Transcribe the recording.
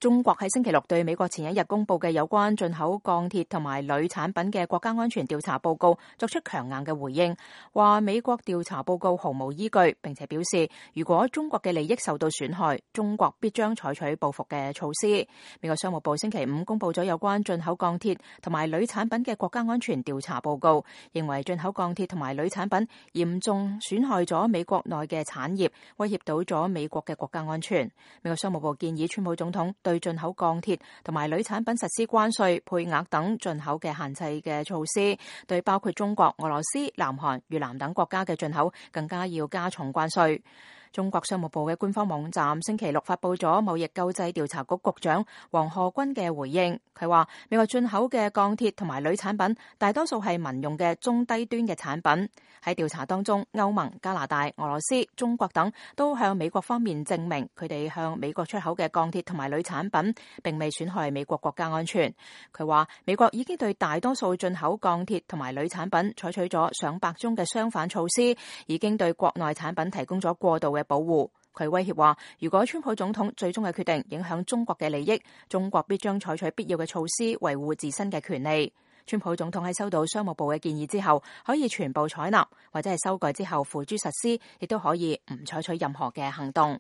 中國喺星期六對美國前一日公布嘅有關進口鋼鐵同埋鋁產品嘅國家安全調查報告作出強硬嘅回應，話美國調查報告毫無依據，並且表示如果中國嘅利益受到損害，中國必將採取報復嘅措施。美國商務部星期五公布咗有關進口鋼鐵同埋鋁產品嘅國家安全調查報告，認為進口鋼鐵同埋鋁產品嚴重損害咗美國內嘅產業，威脅到咗美國嘅國家安全。美國商務部建議川普總統對進口鋼鐵同埋鋁產品實施關稅、配額等進口嘅限制嘅措施，對包括中國、俄羅斯、南韓、越南等國家嘅進口更加要加重關稅。中國商務部嘅官方網站星期六發佈咗貿易救濟調查局局長黃賀軍嘅回應，佢話美國進口嘅鋼鐵同埋鋁產品大多數係民用嘅中低端嘅產品。喺調查當中，歐盟、加拿大、俄羅斯、中國等都向美國方面證明佢哋向美國出口嘅鋼鐵同埋鋁產品並未損害美國國家安全。佢話美國已經對大多數進口鋼鐵同埋鋁產品採取咗上百宗嘅相反措施，已經對國內產品提供咗過度嘅保護。佢威脅話，如果川普總統最終嘅決定影響中國嘅利益，中國必將採取必要嘅措施維護自身嘅權利。川普總統喺收到商務部嘅建議之後，可以全部採納，或者係修改之後付諸實施，亦都可以唔採取任何嘅行動。